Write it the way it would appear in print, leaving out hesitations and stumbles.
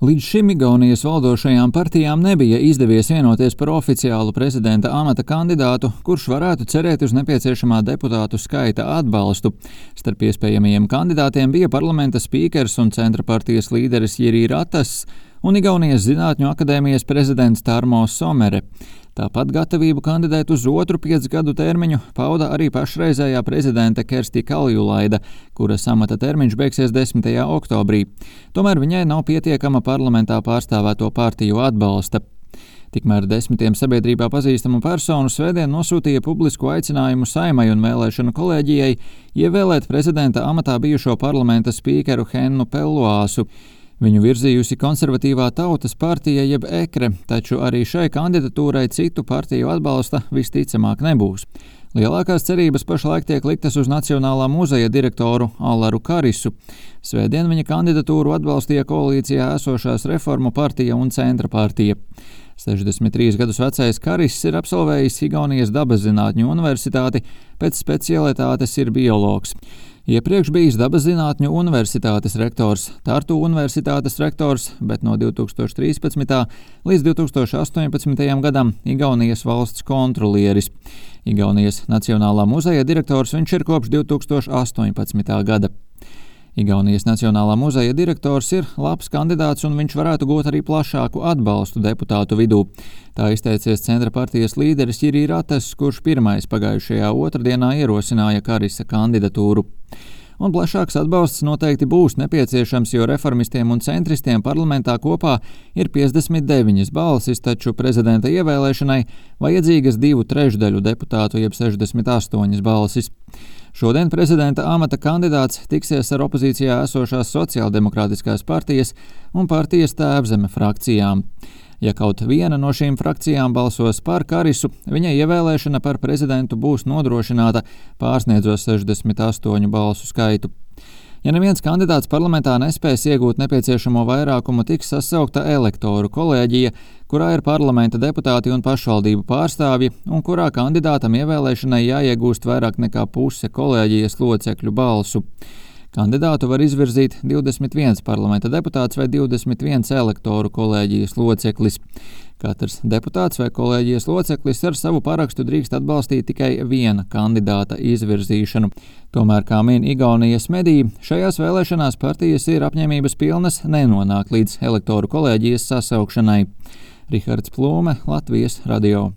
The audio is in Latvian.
Līdz šim Igaunijas valdošajām partijām nebija izdevies vienoties par oficiālu prezidenta amata kandidātu, kurš varētu cerēt uz nepieciešamā deputātu skaita atbalstu. Starp iespējamajiem kandidātiem bija parlamenta spīkers un centra partijas līderis Jiri Ratas un Igaunijas Zinātņu akadēmijas prezidents Tarmo Somere. Tāpat gatavību kandidēt uz otru 5 gadu termiņu pauda arī pašreizējā prezidente Kersti Kaljulaida, kuras amata termiņš beigsies 10. oktobrī. Tomēr viņai nav pietiekama parlamentā pārstāvēto partiju atbalsta. Tikmēr 10 sabiedrībā pazīstamu personu svētdien nosūtīja publisku aicinājumu Saeimai un vēlēšanu kolēģijai ievēlēt prezidenta amatā bijušo parlamenta spīkeru Hennu Pelloāsu. Viņu virzījusi konservatīvā Tautas partija jeb EKRE, taču arī šai kandidatūrai citu partiju atbalsta visticamāk nebūs. Lielākās cerības pašlaik tiek liktas uz Nacionālā muzeja direktoru Allaru Karisu. Svētdien viņa kandidatūru atbalstīja koalīcijā esošās Reformu partija un Centra partija. 63 gadus vecais Kariss ir absolvējis Igaunijas Dabaszinātņu universitāti, pēc specialitātes ir biologs. Iepriekš bijis Dabaszinātņu universitātes rektors, Tartu universitātes rektors, bet no 2013. līdz 2018. gadam Igaunijas valsts kontrolieris. Igaunijas Nacionālā muzeja direktors viņš ir kopš 2018. gada. Igaunijas Nacionālā muzeja direktors ir labs kandidāts un viņš varētu gūt arī plašāku atbalstu deputātu vidū. Tā izteicies centra partijas līderis Jiri Ratas, kurš pirmais pagājušajā otrdienā ierosināja Karisa kandidatūru. Un plašāks atbalsts noteikti būs nepieciešams, jo reformistiem un centristiem parlamentā kopā ir 59 balsis, taču prezidenta ievēlēšanai vajadzīgas 2/3 deputātu jeb 68 balsis. Šodien prezidenta amata kandidāts tiksies ar opozīcijā esošās Sociāldemokrātiskās partijas un partijas Tēvzeme frakcijām. Ja kaut viena no šīm frakcijām balsos par Karisu, viņa ievēlēšana par prezidentu būs nodrošināta, pārsniedzot 68 balsu skaitu. Ja neviens kandidāts parlamentā nespēs iegūt nepieciešamo vairākumu, tiks sasaukta elektoru kolēģija, kurā ir parlamenta deputāti un pašvaldību pārstāvji, un kurā kandidātam ievēlēšanai jāiegūst vairāk nekā puse kolēģijas locekļu balsu. Kandidātu var izvirzīt 21 parlamenta deputāts vai 21 elektoru kolēģijas loceklis. Katrs deputāts vai kolēģijas loceklis ar savu parakstu drīkst atbalstīt tikai viena kandidāta izvirzīšanu. Tomēr, kā min Igaunijas mediji, šajās vēlēšanās partijas ir apņēmības pilnas nenonākt līdz elektoru kolēģijas sasaukšanai. Rihards Plūme, Latvijas radio.